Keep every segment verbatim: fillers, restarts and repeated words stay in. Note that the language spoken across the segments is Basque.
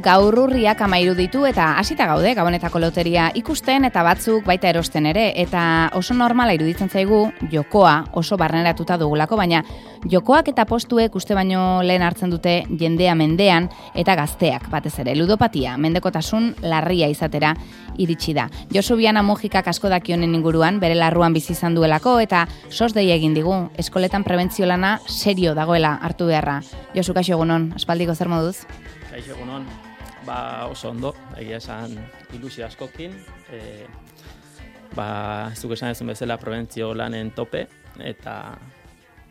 Gaur urriak amairu ditu eta hasita gaude Gabonetako loteria ikusten eta batzuk baita erosten ere, eta oso normala iruditzen zaigu jokoa oso barneratuta dugulako, baina jokoak eta postuek uste baino lehen hartzen dute jendea mendean eta gazteak batez ere. Ludopatia, mendekotasun larria izatera iritsi da. Josu Biana Mujikak asko daki honen inguruan, bere larruan bizi izan duelako eta sos dei egin digu, eskoletan prebentzio lana serio dagoela hartu beharra. Josu, kaixo egunon, aspaldiko zer moduz? Kaixo egunon. Ba, oso ondo, egia esan ilusio askokin, e, ba, zuk esan ezun bezala prebentzio lanen tope, eta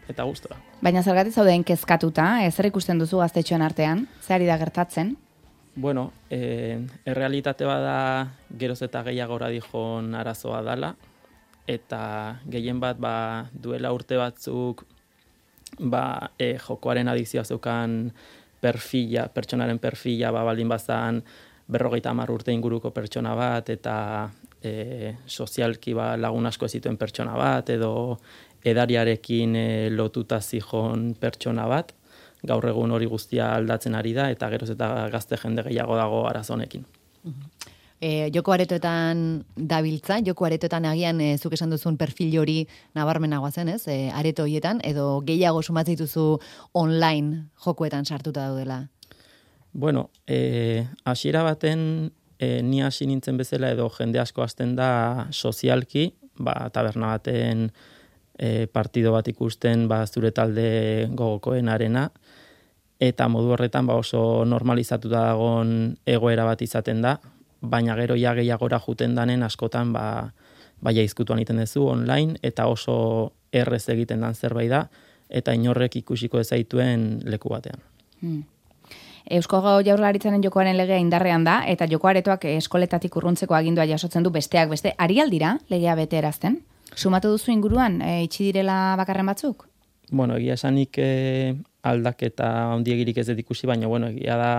eta gustora. Baina zergatik zauden kezkatuta, zer ikusten duzu gaztetxoen artean, zer ari da gertatzen? Bueno, e, errealitate bada geroz eta gehiagora dijon arazoa dala, eta gehien bat ba, duela urte batzuk ba, e, jokoaren adikzioa zeukan perfila, pertsonaren perfila, ba, baldin bazan berrogeita hamar urte inguruko pertsona bat, eta e, sozialki ba, lagun asko ez zituen pertsona bat, edo edariarekin e, lotuta zijon pertsona bat, gaur egun hori guztia aldatzen ari da, eta geroz eta gazte jende gehiago dago arazo honekin. E, joko aretoetan dabiltza, joko aretoetan agian e, zuk esan duzun perfil hori nabarmenagoa zen, ez? E, areto horietan, edo gehiago sumatzen dituzu online jokoetan sartuta daudela? Bueno, e, hasiera baten e, ni hasi nintzen bezala edo jende asko hasten da sozialki, ba, taberna baten e, partido bat ikusten ba, zure talde gogokoen arena, eta modu horretan ba, oso normalizatuta dagoen egoera bat izaten da, baina gero ja gehiagora juten danen askotan ba, baia izkutuan egiten duzu online, eta oso errez egiten dan zerbait da, eta inorrek ikusiko ezaituen leku batean. Hmm. Eusko Jaurlaritzaren jokoaren legea indarrean da, eta joko aretoak eskoletatik urruntzeko agindua jasotzen du besteak beste. Ari aldira legea bete erazten? Sumatu duzu inguruan, e, itxi direla bakarren batzuk? Bueno, egia esanik e, aldaketa handiegirik ez dut ikusi, baina bueno, egia da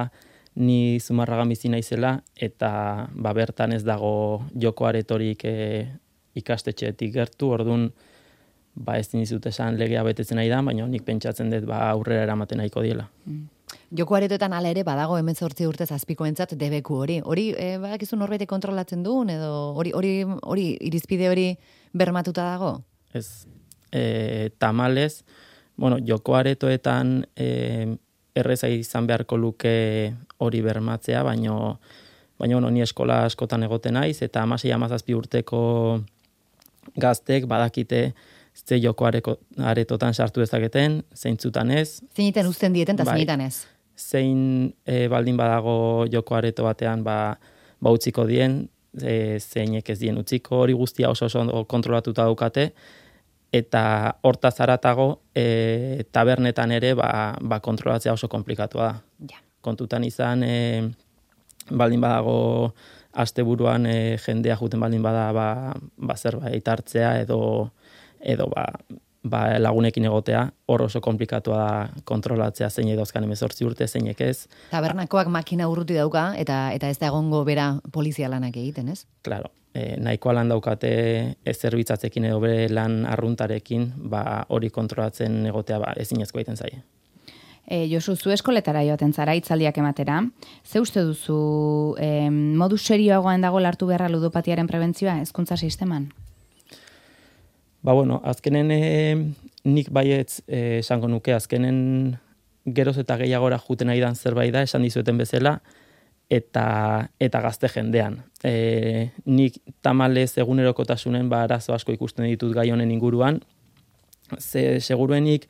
ni Zumarragan bizi naizela, eta ba, bertan ez dago joko aretorik e, ikastetxeetik gertu, orduan ba, ez dizut esan legea betetzen nahi da, baina nik pentsatzen dut ba, aurrera eramaten nahiko diela. Mm. Joko aretoetan ala ere badago hemezortzi urtez azpikoentzat debeku hori. Hori e, badakizu norbaitek kontrolatzen duen, edo hori hori hori irizpide hori bermatuta dago? Ez, e, tamalez, bueno, joko aretoetan e, erreza izan beharko luke hori bermatzea, baino, baino bueno, ni eskola askotan egoten naiz, eta hamasei hamazazpi urteko gaztek badakite ze joko aretotan sartu dezaketen, zeintzutan ez. Zeinitan uzten dieten, eta bai, zeinitan ez. Zein e, baldin badago joko areto batean ba, ba utziko dien, e, zeinek ez dien utziko, hori guztia oso oso kontrolatuta daukate, eta hortaz haratago e, tabernetan ere ba, ba kontrolatzea oso komplikatua da. Ja. Kontutan izan e, baldin badago asteburuan e, jendea juten baldin bada ba, ba zerbait hartzea edo edo ba, ba lagunekin egotea, hor oso komplikatua da kontrolatzea zein edozkan hemezortzi urte, zeinek ez. Tabernakoak makina urruti dauka, eta eta ez da egongo bera polizia lanak egiten, ez? Claro. E, nahikoa lan daukate ez zerbitzatzekin edo bere lan arruntarekin, ba hori kontrolatzen egotea ba ezinezkoa egiten zaie. E, Josu, zu eskoletara joaten zara hitzaldiak ematera. Ze uste duzu e, modu serioagoan dago lartu beharra ludopatiaren prebentzioa hezkuntza sisteman? Ba bueno, azkenen e, nik baietz e, esango nuke, azkenen geroz eta gehiagora juten nahi dan zerbait da, esan dizueten bezala, eta eta gazte jendean. E, nik tamalez egunerokotasunen ba arazo asko ikusten ditut gai honen inguruan, ze seguruenik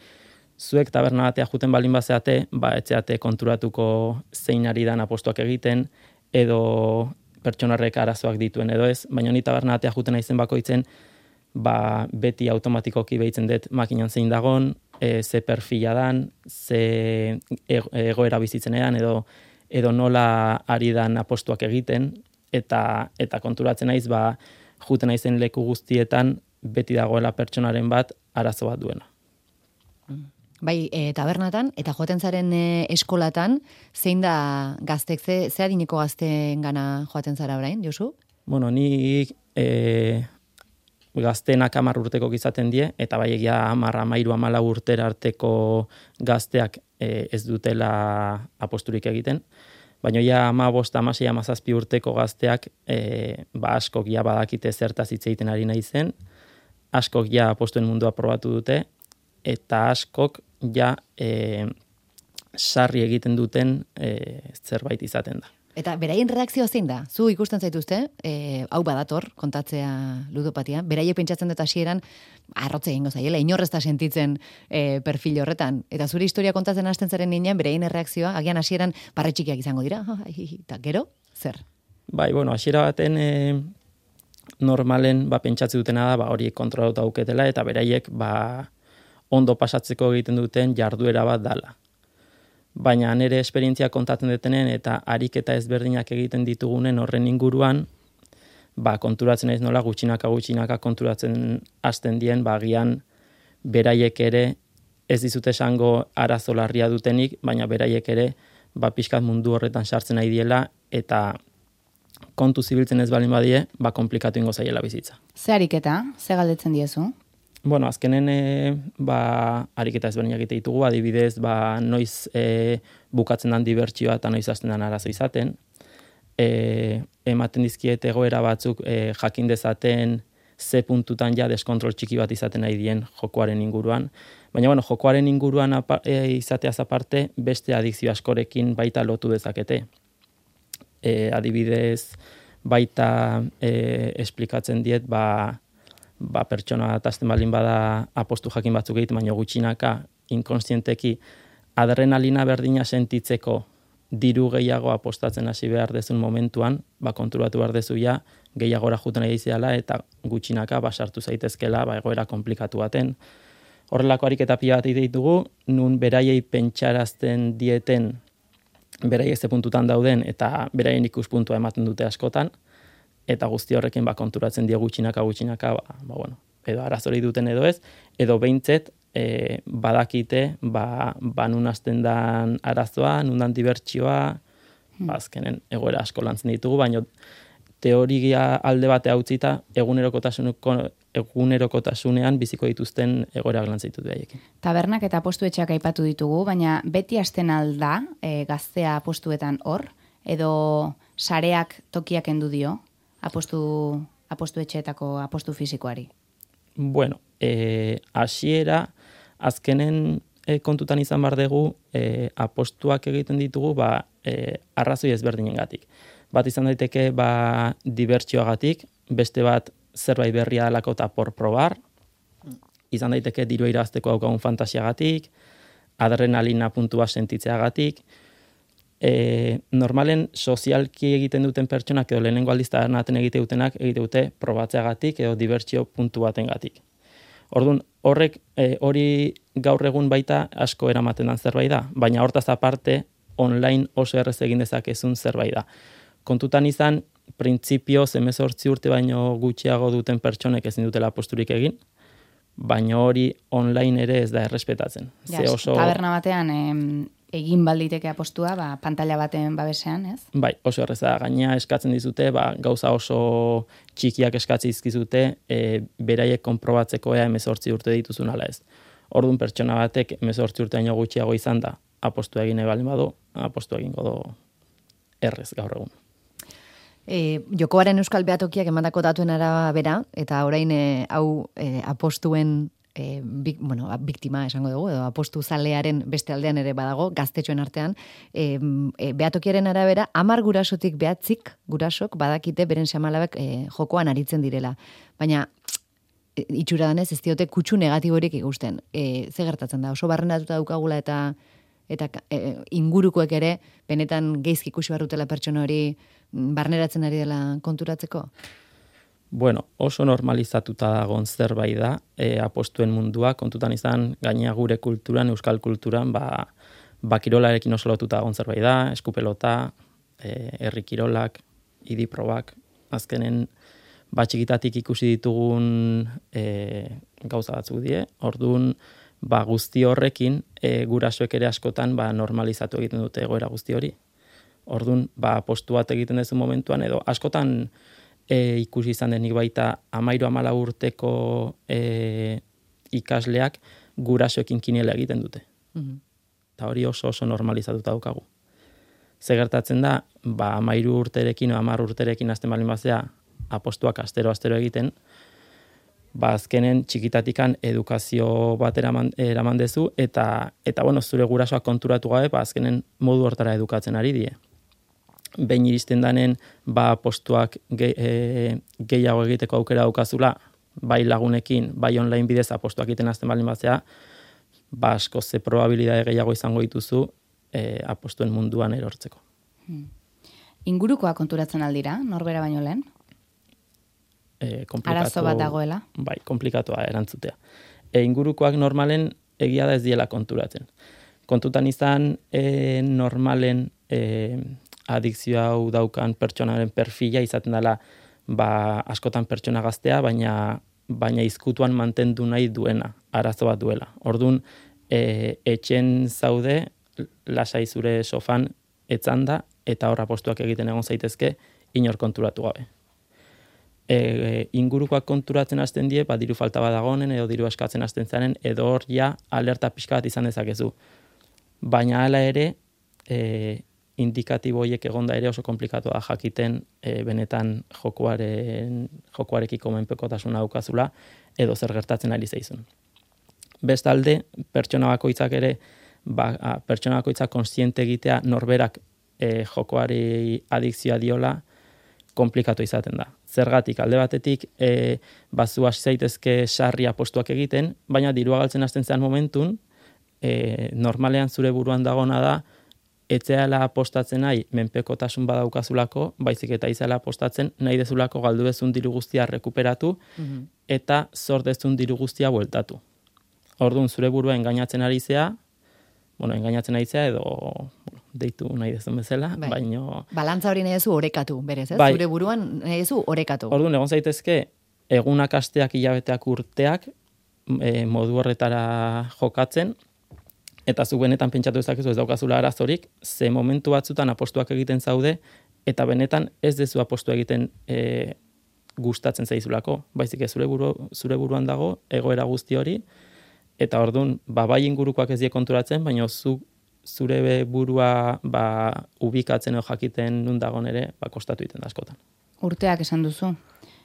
zuek taberna batea juten baldin bazeate, ba etzeate konturatuko zein ari dan apostuak egiten, edo pertsonarrek arazoak dituen edo ez, baina ni taberna batea juten naizen bakoitzen, ba beti automatikoki behitzen dut makinan zein dagon, e, ze perfila dan, ze egoera bizitzenean, edo edo nola ari dan apostuak egiten, eta eta konturatzen naiz ba juten naizen leku guztietan beti dagoela pertsonaren bat arazo bat duena. Bai, e, tabernatan, eta joaten zaren e, eskolatan, zein da gaztek, ze, ze adineko gazteen gana joaten zara orain, Josu? Bueno, ni e, gazteenak hamar urteko izaten die, eta bai egia hamar, hamairu, hamalau urtera arteko gazteak e, ez dutela aposturik egiten, Baina ja ama bost, amasei, amazazpi urteko gazteak e, ba askok ja badakite zertaz hitz egiten ari nahi zen, askok ja apostuen mundua probatu dute, eta askok ja e, sarri egiten duten e, zerbait izaten da. Eta beraien reakzioa zein da? Zu ikusten zaituzte, e, hau badator, kontatzea ludopatia, beraiek pentsatzen dut hasieran arrotze egingo zaiela, inorrez da sentitzen e, perfil horretan. Eta zure historia kontatzen hasten zaren ninean, beraien reakzioa, agian hasieran parretxikiak izango dira, eta gero, zer? Bai, bueno, hasiera baten e, normalen ba, pentsatze dutena da, ba, horiek kontrolauta dauketela, eta beraiek ba, ondo pasatzeko egiten duten jarduera bat dala. Baina nire esperientzia kontatzen detenen eta ariketa ezberdinak egiten ditugunen horren inguruan, ba, konturatzen ez nola gutxinaka gutxinaka konturatzen hasten dien, ba, agian beraiek ere ez dizute esango arazo larria dutenik, baina beraiek ere ba, pixkat mundu horretan sartzen nahi diela eta kontu zibiltzen ez balin badie, ba, komplikatu ingo zaiela bizitza. Ze ariketa? Ze galdetzen diezu? Bueno, azkenen e, ba, ariketa ezberdinak egite ditugu, adibidez, ba, noiz e, bukatzen dan dibertsioa eta noiz hasten dan arazo izaten. E, ematen dizkiet egoera batzuk e, jakin dezaten ze puntutan ja deskontrol txiki bat izaten nahi dien jokoaren inguruan. Baina, bueno, jokoaren inguruan apa, e, izateaz aparte, beste adikzio askorekin baita lotu dezakete. E, adibidez, baita e, esplikatzen diet, ba, ba, pertsona atazten balin bada apostu jakin batzuk egiten, baina gutxinaka, inkonstienteki, adrenalina berdina sentitzeko diru gehiago apostatzen hasi behar dezun momentuan, ba, konturatu behar dezu ja, gehiagora juten nahi izela, eta gutxinaka basartu zaitezkela ba, egoera komplikatu baten. Horrelako ariketa pila bat ditugu, nun beraiei pentsarazten dieten, beraiek ze puntutan dauden, eta beraien ikuspuntua ematen dute askotan, eta guzti horrekin ba, konturatzen dio gutxinaka gutxinaka, ba, ba, bueno, edo arazori duten edo ez, edo behintzet e, badakite ba, ba nun hasten dan arazoa, nun dan dibertsioa, hmm. ba, azkenen egoera asko lantzen ditugu, baina teoria alde bate hautzita egunerokotasunean biziko dituzten egoera lantzen ditut behaiekin. Tabernak eta apostuetxeak aipatu ditugu, baina beti hasten alda e, gaztea apostuetan hor, edo sareak tokiak endu dio? Apostu, apostu etxeetako apostu fisikoari? Bueno, e, asiera, azkenen e, kontutan izan bar dugu, e, apostuak egiten ditugu, ba, e, arrazoi ezberdinengatik. Bat izan daiteke, ba, dibertsioagatik, beste bat zerbait berria dalako eta por probar, izan daiteke dirua irazteko daukagun fantasiagatik, adrenalina puntua sentitzeagatik. E, normalen sozialki egiten duten pertsonak edo lehenengo aldiz tabernaten egite dutenak egite dute probatzeagatik edo dibertsio puntu batengatik. Orduan, horrek e, hori gaur egun baita asko eramaten dan zerbait da, baina hortaz aparte online oso errez egin dezakezun zerbait da. Kontutan izan, printzipio hemezortzi urte baino gutxiago duten pertsonek ezin dutela posturik egin, baina hori online ere ez da errespetatzen. Ja, oso... Taberna batean... Em... egin balditeke apostua, ba, pantalla baten babesean, ez? Bai, oso erreza. Gaina eskatzen dizute, ba, gauza oso txikiak eskatzi izkizute, e, beraiek konprobatzeko ea hemezortzi urte dituzun ala ez. Orduan pertsona batek hemezortzi urte baino gutxiago izan da, apostu egin ebalin badu, apostu egingo do errez gaur egun. E, jokoaren euskal behatokiak emandako datuen arabera, eta orain e, hau e, apostuen E, bik, bueno, biktima esango dugu, edo apostu zalearen beste aldean ere badago, gaztetxoen artean, e, e, behatokiaren arabera, hamar gurasotik behatzik gurasok badakite beren semalabek e, jokoan aritzen direla. Baina, e, itxura danez, ez diote kutsu negatiborik ikusten. E, ze gertatzen da, oso barrenatuta daukagula eta eta e, ingurukoek ere, benetan geizki ikusi barrutela pertsona hori barneratzen ari dela konturatzeko? Bueno, oso normalizatuta dagoen zerbait da, e, apostuen mundua, kontutan izan, gainea gure kulturan, euskal kulturan, ba, ba kirolarekin oso lotuta dagoen zerbait da, eskupelota, e, herri kirolak, idiprobak, azkenen, ba txikitatik ikusi ditugun e, gauza batzuk die, orduan, ba guzti horrekin, e, gurasoek ere askotan, ba normalizatu egiten dute egoera guzti hori. Orduan, ba apostu bat egiten dezu momentuan, edo askotan, E, ikusi izan denik baita amairu amala urteko e, ikasleak gurasoekin kiniela egiten dute. Mm-hmm. Eta hori oso oso normalizatuta daukagu. Ze gertatzen da, ba, amairu urterekin o amar urterekin azten balin bazea, apostuak astero-astero egiten, ba, azkenen txikitatikan edukazio bat eraman, eraman dezu, eta, eta bueno, zure gurasoak konturatu gabe, ba, azkenen modu hortara edukatzen ari die. Behin iristen danen, ba, postuak ge, e, gehiago egiteko aukera daukazula, bai lagunekin, bai online bidez apostuak egiten azten balin bazea, ba, asko ze probabilidade gehiago izango dituzu e, apostuen munduan erortzeko. Hmm. Ingurukoa konturatzen aldira, norbera baino lehen? E, Arazo bat dagoela? Bai, komplikatua erantzutea. E, ingurukoak normalen egia da ez diela konturatzen. Kontutan izan e, normalen e, adikzio hau daukan pertsonaren perfila izaten dela ba, askotan pertsona gaztea, baina baina izkutuan mantendu nahi duena, arazo bat duela. Orduan, e, etxen zaude, lasai zure sofan etzanda, eta horra postuak egiten egon zaitezke, inor konturatu gabe. E, e, ingurukoak konturatzen hasten die, ba, diru falta bat dagoenen, edo diru eskatzen hasten zaren, edo hor ja alerta pixka bat izan dezakezu. Baina hala ere, e, indikatibo horiek egonda ere oso komplikatu da jakiten e, benetan jokuaren, jokuarekiko menpekotasuna daukazula edo zer gertatzen ari zaizun. Bestalde, pertsona bakoitzak ere, ba, pertsona bakoitzak kontziente egitea norberak e, jokoari adikzioa diola, komplikatu izaten da. Zergatik, alde batetik, e, bazu hasi zaitezke sarri apostuak egiten, baina dirua galtzen hasten zean momentun, e, normalean zure buruan dagona da, etzeala apostatzen nahi menpekotasun badaukazulako, baizik eta izala apostatzen nahi dezulako galdu bezun diru guztia rekuperatu mm-hmm. eta zor dezun diru guztia bueltatu. Orduan zure burua engainatzen ari zea, bueno, engainatzen ari zea edo bueno, deitu nahi dezun bezala, bai. Baino... Balantza hori nahi dezu orekatu, berez, ez? Bai. Zure buruan nahi dezu orekatu. Orduan egon zaitezke, egunak, asteak, hilabeteak, urteak, e, modu horretara jokatzen, eta zu benetan pentsatu ezakezu ez daukazula arazorik, ze momentu batzutan apostuak egiten zaude, eta benetan ez dezu apostu egiten e, gustatzen zaizulako. Baizik ez zure, buru, zure buruan dago, egoera guzti hori, eta orduan, ba, bai ingurukoak ez die konturatzen, baina zu, zure burua ba, ubikatzen edo jakiten nun dagoen ere, ba, kostatu egiten da askotan. Urteak esan duzu,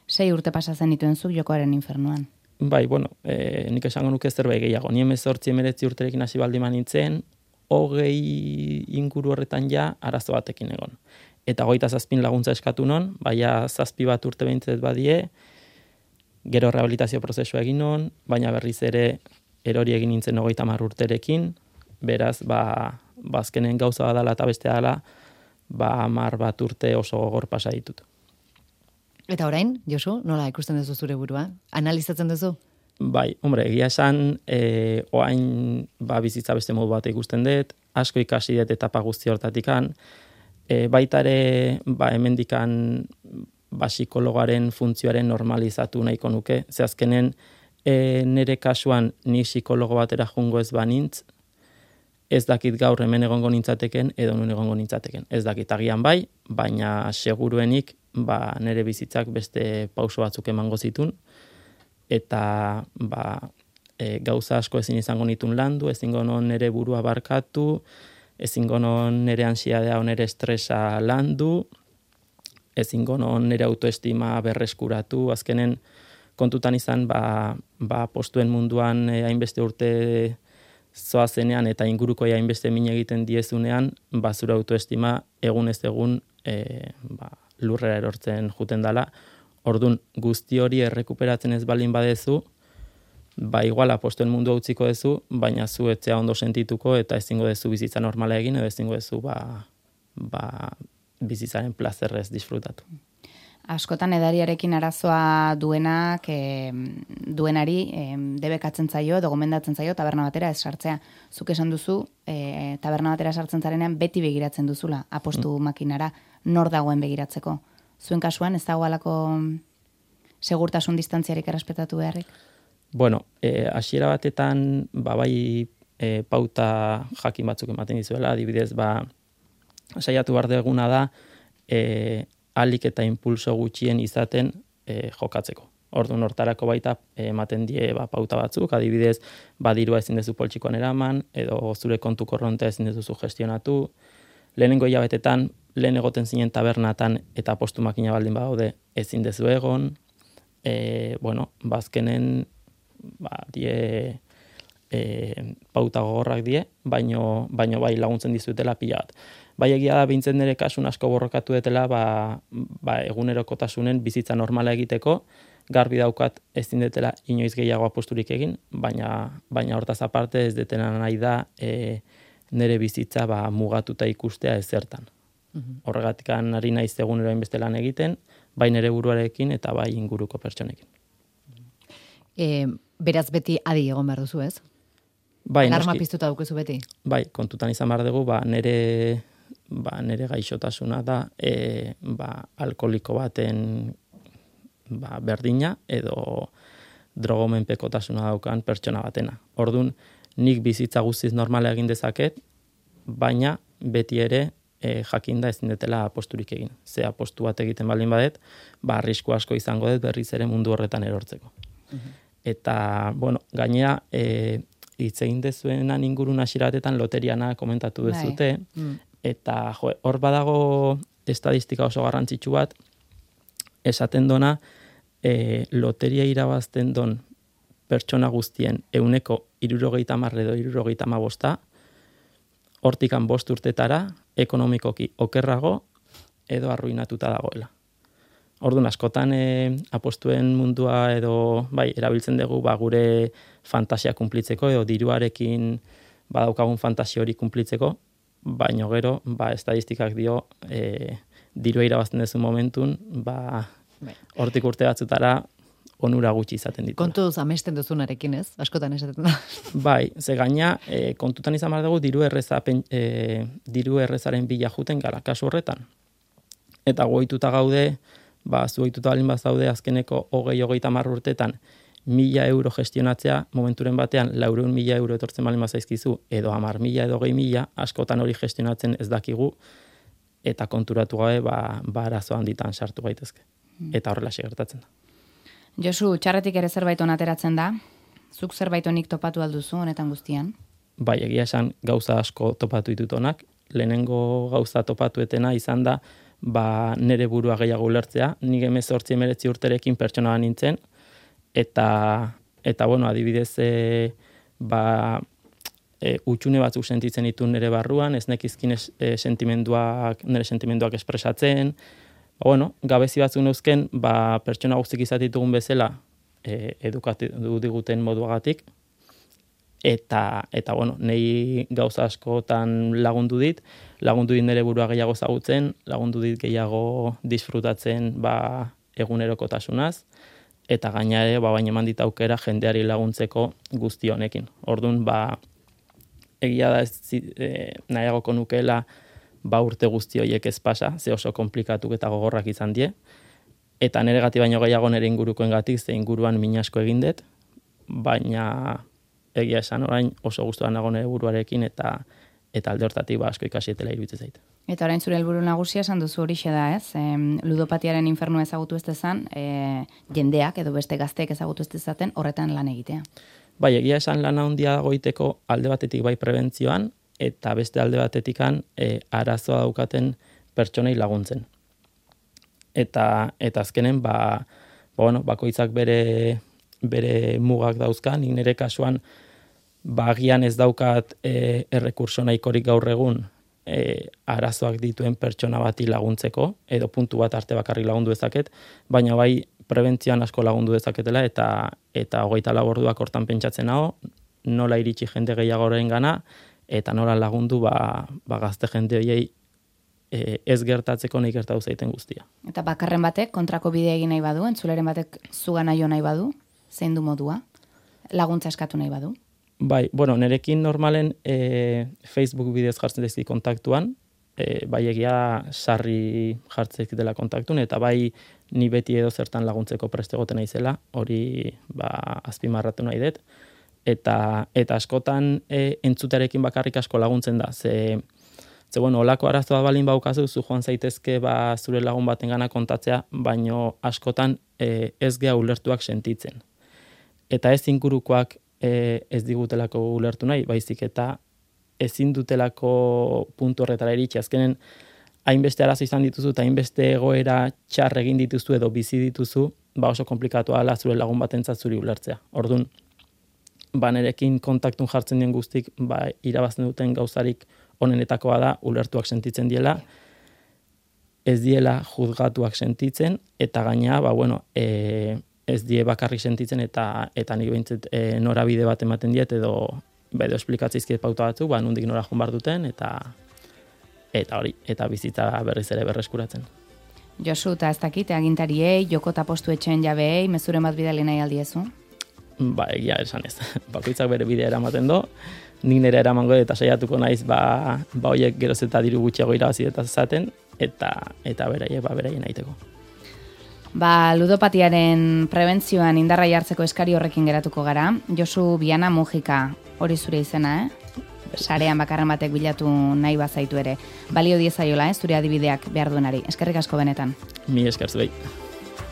sei urte pasatzen dituen zuk jokoaren infernuan. Bai, bueno, e, nik esango nuke zerbait gehiago. Ni hemezortzi hemeretzi urterekin hasi baldin nintzen, hogei inguru horretan ja arazo batekin egon. Eta hogeita zazpin laguntza eskatu non, baina zazpi bat urte behintzet badie, gero rehabilitazio prozesua egin non, baina berriz ere erori egin nintzen hogeita hamar urterekin, beraz, ba, bazkenen gauza badala eta beste dela, ba, hamar bat urte oso gogor pasa ditut. Eta orain, Josu, nola ikusten duzu zure burua? Analizatzen duzu? Bai, hombre, egia esan, e, oain ba, bizitza beste modu bat ikusten dut, asko ikasi dut etapa guzti hortatikan, e, baita ere, ba, hemendikan ba, psikologoaren funtzioaren normalizatu nahiko nuke. Ze azkenen, e, nire kasuan ni psikologo batera jungo ez banintz, ez dakit gaur hemen egongo nintzateken, edo nun egongo nintzateken. Ez dakit agian bai, baina seguruenik, ba, nire bizitzak beste pauso batzuk emango zitun, eta ba, e, gauza asko ezin izango nitun landu, ezingo non nire burua barkatu, ezingo non nire ansiadea o nire estresa landu, ezingo non nire autoestima berreskuratu, azkenen kontutan izan, ba, ba postuen munduan e, hainbeste urte zoazenean eta inguruko hainbeste min egiten diezunean, ba, zure autoestima egun ez egun e, ba, lurrera erortzen juten dala. Ordun guzti hori errekuperatzen ez baldin badezu, ba igual apostuen mundu utziko dezu, baina zu etzea ondo sentituko eta ezingo dezu bizitza normala egin edo ezingo dezu ba, ba bizitzaren plazerrez disfrutatu. Askotan edariarekin arazoa duenak, e, duenari e, debekatzen zaio edo gomendatzen zaio taberna batera ez sartzea. Zuk esan duzu, e, taberna batera sartzen zarenean beti begiratzen duzula apostu mm. makinara, nor dagoen begiratzeko. Zuen kasuan ez dago alako segurtasun distantziarik errespetatu beharrik? Bueno, e, hasiera batetan ba, bai e, pauta jakin batzuk ematen dizuela, adibidez, ba, saiatu behar deguna da, e, alik eta impulso gutxien izaten e, jokatzeko. Orduan hortarako baita ematen die ba, pauta batzuk, adibidez, badirua ezin dezu poltsikoan eraman, edo zure kontu korrontea ezin dezu gestionatu, lehenengo hilabetetan, lehen egoten zinen tabernatan eta postu makina baldin badaude ezin dezu egon, e, bueno, bazkenen, ba, die, e, pauta gogorrak die, baino, baino bai laguntzen dizuetela pila bat. Bai egia da behintzen nire kasun asko borrokatu detela, ba, ba, egunerokotasunen bizitza normala egiteko, garbi daukat ezin detela inoiz gehiago aposturik egin, baina, baina hortaz aparte ez detena nahi da e, nire bizitza ba, mugatuta ikustea ezertan. Horregatik ari naiz egunero hainbeste lan egiten, bai nire buruarekin eta bai inguruko pertsonekin. E, beraz beti adi egon behar duzu, ez? Bai, alarma noski, piztuta dukezu beti? Bai, kontutan izan behar dugu, ba, nire, ba, nire gaixotasuna da e, ba, alkoholiko baten ba, berdina edo drogomenpekotasuna daukan pertsona batena. Orduan, nik bizitza guztiz normala egin dezaket, baina beti ere e, jakinda ezin detela aposturik egin. Ze apostu bat egiten baldin badet, ba, arrisku asko izango dut berriz ere mundu horretan erortzeko. Uh-huh. Eta, bueno, gainera, e, hitz egin dezuenan ingurun hasieratetan loteriana komentatu dezute, mm. eta jo, hor badago estadistika oso garrantzitsu bat, esaten dona, e, loteria irabazten don pertsona guztien euneko hirurogeita hamar edo hirurogeita hamabosta, hortikan bost urtetara, ekonomikoki okerrago edo arruinatuta dagoela. Orduan, askotan e, apostuen mundua edo bai, erabiltzen dugu ba, gure fantasia kunplitzeko edo diruarekin badaukagun fantasia hori kunplitzeko, baino gero, ba, estadistikak dio e, dirua irabazten duzu momentun, ba, hortik urte batzutara onura gutxi izaten ditu. Kontuz amesten duzunarekin, ez? Askotan esaten da. Bai, ze gaina, e, kontutan izan behar dugu diru, erreza, e, diru errezaren bila juten gara kasu horretan. Eta goituta gaude, ba, zueituta balin bazaude azkeneko hogei hogeita hamar urtetan mila euro gestionatzea, momenturen batean laureun mila euro etortzen balin bazaizkizu, edo hamar mila edo hogei mila, askotan hori gestionatzen ez dakigu, eta konturatu gabe, ba, ba arazo handitan sartu gaitezke. Eta horrela gertatzen da. Josu, txarretik ere zerbait onateratzen da? Zuk zerbait onik topatu alduzu honetan guztian? Bai, egia esan gauza asko topatu ditut onak. Lehenengo gauza topatuetena izan da, ba, nere burua gehiago ulertzea. Nik hemezortzi hemeretzi urterekin pertsona nintzen, eta, eta bueno, adibidez, e, ba, e, utxune batzuk sentitzen ditu nere barruan, ez nekizkin es, e, sentimenduak, nere sentimenduak espresatzen. Ba, bueno, gabezi batzuk neuzken, ba, pertsona guztik izatitugun bezala e, edukatu diguten moduagatik, eta, eta bueno, nei gauza askotan lagundu dit, lagundu dit nire burua gehiago zagutzen, lagundu dit gehiago disfrutatzen ba, egunerokotasunaz, eta gaina ere, ba, baina eman dit aukera jendeari laguntzeko guzti honekin. Orduan, ba, egia da ez e, nahiagoko nukeela ba urte guzti horiek ez pasa, ze oso komplikatuk eta gogorrak izan die, eta nire gati baino gehiago nire ingurukoengatik, ze inguruan min asko egin dut, baina egia esan orain oso gustuan nago nire buruarekin, eta eta alde hortatik ba asko ikasietela iruditzen zait. Eta orain zure helburu nagusia esan duzu horixe da, ez? E, ludopatiaren infernua ezagutu ez dezan, e, jendeak edo beste gazteek ezagutu ez dezaten horretan lan egitea. Bai, egia esan lan handia dagoiteko alde batetik bai prebentzioan, eta beste alde batetikan e, arazoa daukaten pertsonei laguntzen. Eta, eta azkenen, ba, ba, bueno, bakoitzak bere, bere mugak dauzkan, nik nire kasuan, ba, agian ez daukat e, errekurso nahikorik gaur egun e, arazoak dituen pertsona bati laguntzeko, edo puntu bat arte bakarrik lagundu dezaket, baina bai prebentzioan asko lagundu dezaketela, eta, eta hogeita lau orduak hortan pentsatzen hau, nola iritsi jende gehiagoren gana, eta nola lagundu ba, ba gazte jende horiei e, ez gertatzeko nahi gertatu zaiten guztia. Eta bakarren batek kontrako bidea egin nahi badu, entzuleren batek zugana jo nahi badu, zein du modua, laguntza eskatu nahi badu? Bai, bueno, nerekin normalen e, Facebook bidez jartzen dezki kontaktuan, e, bai egia sarri jartzen dela kontaktun, eta bai ni beti edo zertan laguntzeko preste egoten naizela, hori ba, azpimarratu nahi dut. Eta, eta askotan e, entzutearekin bakarrik asko laguntzen da. Ze, ze bueno, olako arazoa balin baukazu, zu joan zaitezke ba, zure lagun baten gana kontatzea, baino askotan e, ez gea ulertuak sentitzen. Eta ez ingurukoak e, ez digutelako ulertu nahi, baizik eta ezin dutelako puntu horretara iritsi. Azkenen, hainbeste arazo izan dituzu eta hainbeste egoera txar egin dituzu edo bizi dituzu, ba oso komplikatua dela zure lagun batentzat zuri ulertzea. Orduan, ba nerekin kontaktun jartzen dien guztik, ba irabazten duten gauzarik onenetakoa da ulertuak sentitzen diela, ez diela juzgatuak sentitzen, eta gaina, ba bueno, e, ez die bakarrik sentitzen eta eta nik behintzat e, norabide bat ematen diet edo edo esplikatzeizkiet pauta batzuk, ba nondik nora joan behar duten eta eta hori, eta bizitza berriz ere berreskuratzen. Josu, eta ez dakit, agintariei, joko eta postu etxeen jabeei, mezuren bat bidali nahi aldiezu? Ba, egia esan ez. Bakoitzak bere bidea eramaten do, nik nire eramango eta saiatuko naiz, ba, ba hoiek geroz eta diru gutxiago irabazi eta zaten, eta, eta beraiek, ba, beraien aiteko. Ba, ludopatiaren prebentzioan indarra jartzeko eskari horrekin geratuko gara. Josu Biana Mujika, hori zure izena, eh? Sarean bakarren batek bilatu nahi bazaitu ere. Balio diezaiola, eh? Zure adibideak behar duenari. Eskerrik asko benetan. Mi esker zuei.